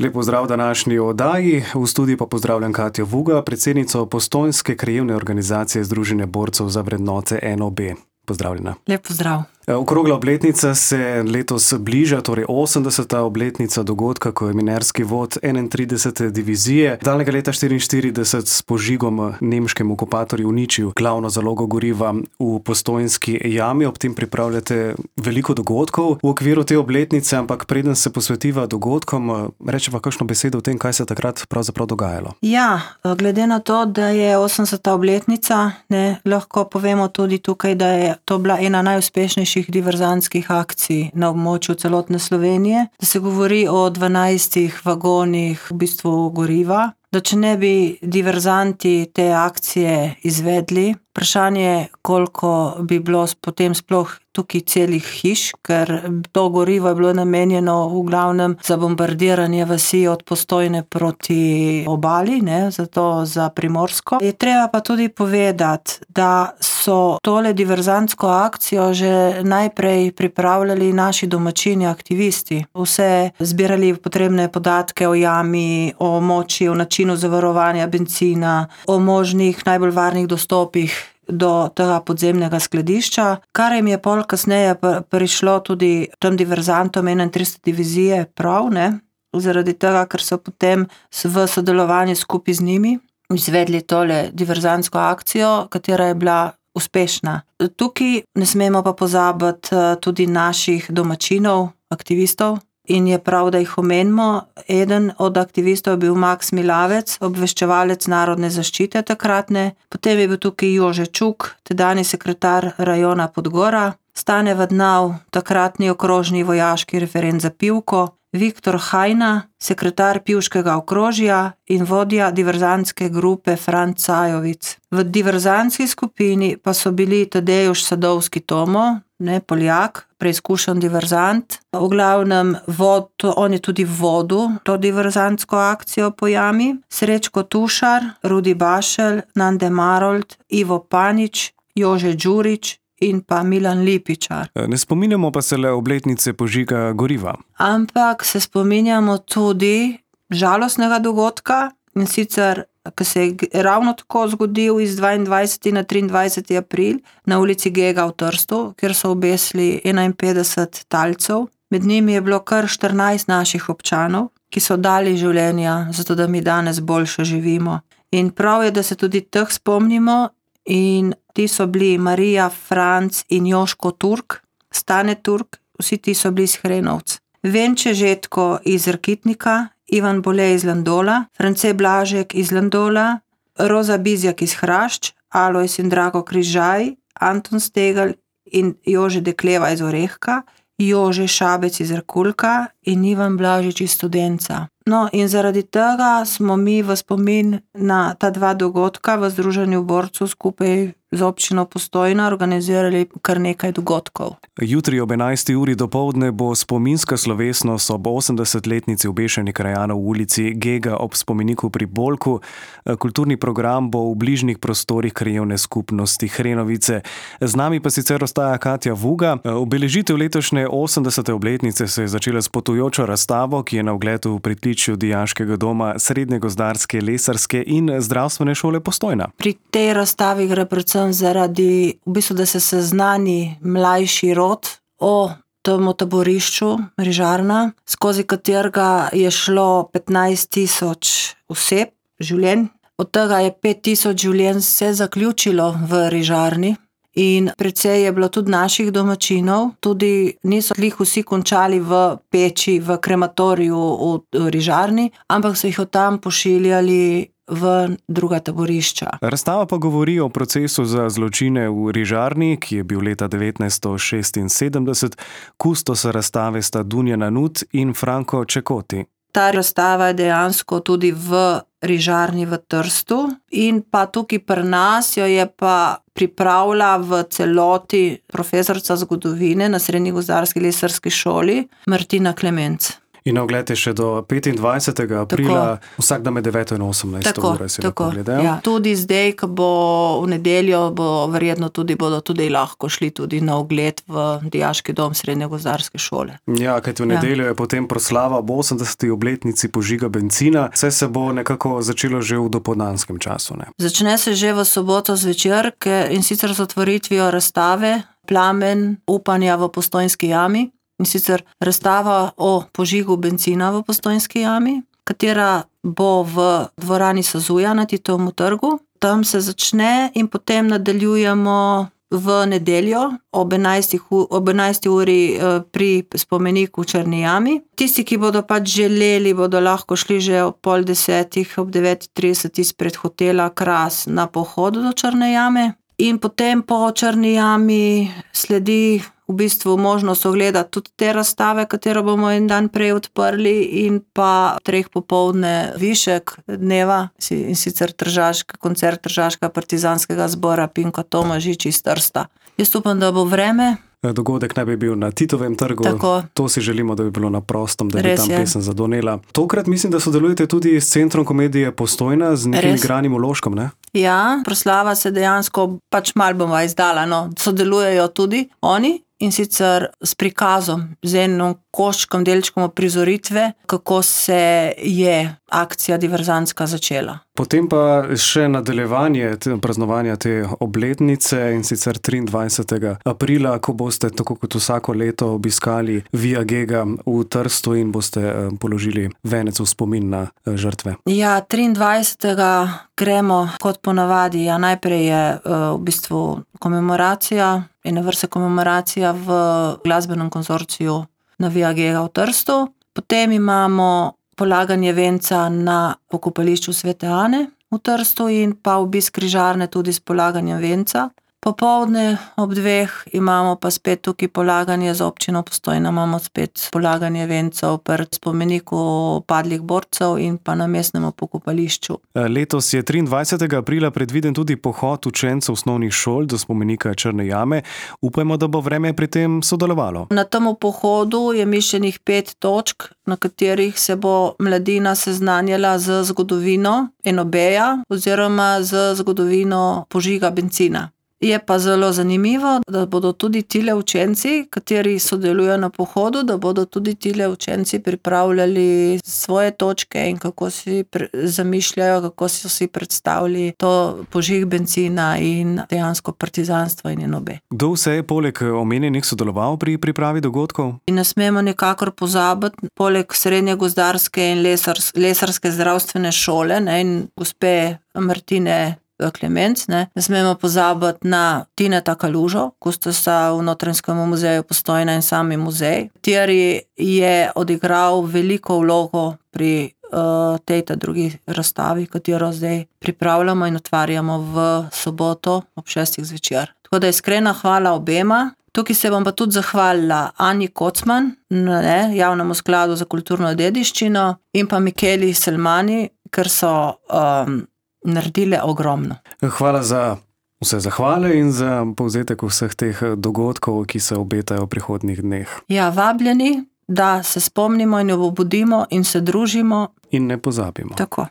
Lep pozdrav današnji oddaji. V studiu pa pozdravljam Katjo Vuga, predsednico Postojnske krajevne organizacije Združenja borcev za vrednote NOB. Pozdravljena. Lep pozdrav. Okrogla obletnica se letos bliža, torej 80. obletnica dogodka, ko je minerski vod 31. divizije daljnega leta 1944 s požigom nemškem okupatorju uničil glavno zalogo goriva v Postojnski jami. Ob tem pripravljate veliko dogodkov v okviru te obletnice, ampak preden se posvetiva dogodkom, rečeva kakšno besedo o tem, kaj se takrat pravzaprav dogajalo. Ja, glede na to, da je 80. obletnica, lahko povemo tudi tukaj, da je to bila ena najuspešnejših diverzantskih akcij na območju celotne Slovenije, da se govori o 12 vagonih v bistvu goriva, da če ne bi diverzanti te akcije izvedli, vprašanje, koliko bi bilo potem sploh tukaj celih hiš, ker to gorivo je bilo namenjeno v glavnem za bombardiranje vasi od Postojne proti obali, zato za Primorsko. Je treba pa tudi povedati, da so tole diverzantsko akcijo že najprej pripravljali naši domačini aktivisti. Vse zbirali potrebne podatke o jami, o moči, o načinu zavarovanja bencina, o možnih najbolj varnih dostopih do tega podzemnega skladišča, kar jim je pol kasneje prišlo tudi tem diverzantom 31. divizije prav, zaradi tega, ker so potem v sodelovanju skupaj z njimi izvedli tole diverzantsko akcijo, katera je bila uspešna. Tukaj ne smemo pa pozabiti tudi naših domačinov, aktivistov, in je prav, da jih omenimo. Eden od aktivistov je bil Maks Milavec, obveščevalec narodne zaščite takratne, potem je bil tukaj Jože Čuk, tedanji sekretar rajona Podgora, Stane Vadnav, takratni okrožni vojaški referent za Pivko, Viktor Hajna, sekretar Pivškega okrožja in vodja diverzantske grupe Franc Sajovic. V diverzantski skupini pa so bili Tadejuš Sadovski Tomo, Poljak, preizkušen diverzant. V glavnem on je tudi vodil to diverzantsko akcijo po jami. Srečko Tušar, Rudi Bašelj, Nande Marold, Ivo Panič, Jože Đurić in pa Milan Lipičar. Ne spominjamo pa se le obletnice požiga goriva. Ampak se spominjamo tudi žalostnega dogodka, in sicer, ki se je ravno tako zgodil iz 22. na 23. april na ulici Gega v Trstu, kjer so obesili 51 talcev. Med njimi je bilo kar 14 naših občanov, ki so dali življenja, zato da mi danes boljše živimo. In prav je, da se tudi teh spomnimo, in ti so bili Marija, Franc in Joško Turk, Stane Turk, vsi ti so bili iz Hrenovc. Venče Žetko iz Rakitnika, Ivan Bole iz Landola, France Blažek iz Landola, Roza Bizjak iz Hrašč, Alojz in Drago Križaj, Anton Stegelj in Jože Dekleva iz Orehka, Jože Šabec iz Rakulka in Ivan Blažič iz Studenca. No, in zaradi tega smo mi v spomin na ta dva dogodka v Združenju borcev skupaj z občino Postojna organizirali kar nekaj dogodkov. Jutri ob 11. uri dopoldne bo spominska slovesnost ob 80-letnici obešenih krajanov v ulici Gega ob spomeniku pri Bolku. Kulturni program bo v bližnjih prostorih krajevne skupnosti Hrenovice. Z nami pa sicer ostaja Katja Vuga. Obeležitev letošnje 80. obletnice se je začela s potujočo razstavo, ki je na ogled v pritličju Dijaškega doma Srednje gozdarske, lesarske in zdravstvene šole Postojna. Pri tej razstavi gre predvsem zaradi, da se seznani mlajši rod o tem taborišču Rižarna, skozi katerega je šlo 15.000 oseb, življenj. Od tega je 5.000 življenj se zaključilo v Rižarni in precej je bilo tudi naših domačinov, tudi niso vsi končali v peči, v krematoriju v Rižarni, ampak so jih od tam pošiljali v druga taborišča. Razstava pa govori o procesu za zločine v Rižarni, ki je bil leta 1976. Kustosa razstave sta Dunja Nanut in Franko Čekoti. Ta razstava je dejansko tudi v Rižarni v Trstu in pa tukaj pri nas jo je pa pripravila v celoti profesorica zgodovine na Srednji gozdarski lesarski šoli Martina Klemenc. In ogled je še do 25. aprila, vsak dan med 9 in 18 ure si lahko gledajo. Ja. Tudi zdaj, ko bo v nedeljo, verjetno bodo tudi lahko šli tudi na ogled v Dijaški dom Srednje gozdarske šole. Ja, kajti v nedeljo je potem proslava ob 80. obletnici požiga bencina. Vse se bo nekako začelo že v dopoldanskem času, ne? Začne se že v soboto zvečer, in sicer z otvoritvijo razstave Plamen upanja v Postojnski jami. In sicer razstava o požigu bencina v Postojnski jami, katera bo v dvorani Sazuja na Titovem trgu. Tam se začne in potem nadaljujemo v nedeljo ob 11. uri pri spomeniku Črni jami. Tisti, ki bodo pač želeli, bodo lahko šli že ob 9:30, ob 9:30 izpred hotela Kras na pohod do Črne jame. In potem po Črni jami sledi v bistvu možnost ogledati tudi te razstave, katero bomo en dan prej odprli, in pa 3 popoldne višek dneva, in sicer koncert Tržaškega partizanskega zbora Pinko Tomažič iz Trsta. Jaz upam, da bo vreme. Dogodek naj bi bil na Titovem trgu. Tako. To si želimo, da bi bilo na prostem, da bi tam pesem zadonela. Tokrat mislim, da sodelujete tudi s Centrom komedije Postojna, z nekim igranim vložkom, ne? Ja, proslava se dejansko pač malo bomo izdala, no. Sodelujejo tudi oni, in sicer s prikazom, z enim koščkom, delčkom prizoritve, kako se je akcija diverzantska začela. Potem pa še nadaljevanje praznovanja te obletnice, in sicer 23. aprila, ko boste, tako kot vsako leto, obiskali Via Gega v Trstu in boste položili venec v spomin na žrtve. Ja, 23. gremo kot ponavadi. Ja, najprej je v bistvu komemoracija, ena vrsta komemoracija v glasbenem konzorciju na Via Gega v Trstu. Potem imamo polaganje venca na pokopališču Svete Ane v Trstu in pa obisk križarne tudi s polaganjem venca. Popoldne ob 2 imamo pa spet tukaj polaganje za občino Postojna, imamo spet polaganje vencev pred spomeniku padlih borcev in pa na mestnem pokopališču. Letos je 23. aprila predviden tudi pohod učencev osnovnih šol do spomenika Črne jame. Upajmo, da bo vreme pri tem sodelovalo. Na tem pohodu je mišljenih 5 točk, na katerih se bo mladina seznanjala z zgodovino enobeja oziroma z zgodovino požiga bencina. Je pa zelo zanimivo, da bodo tudi tile učenci, kateri sodelujo na pohodu, da bodo tudi tile učenci pripravljali svoje točke in kako si zamišljajo, kako so si predstavili to požig bencina in dejansko partizanstvo in enobe. Kdo vse je poleg omenjenih sodeloval pri pripravi dogodkov? In ne smemo nikakor pozabiti, poleg Srednje gozdarske in lesarske zdravstvene šole, ne, in gospe Martine Klemenc, ne smemo pozabiti na Tineta Kalužo, kustosa v Notranjskem muzeju Postojna in sami muzej, kateri je odigral veliko vlogo pri tej drugi razstavi, katero zdaj pripravljamo in otvarjamo v soboto ob 6. zvečer. Tako da iskrena hvala obema. Tukaj se bom pa tudi zahvalila Anji Kocman, Javnemu skladu za kulturno dediščino, in pa Mikeli Selmani, ker so naredile ogromno. Hvala za vse zahvale in za povzetek vseh teh dogodkov, ki se obetajo v prihodnjih dneh. Ja, vabljeni, da se spomnimo in obudimo in se družimo. In ne pozabimo. Tako.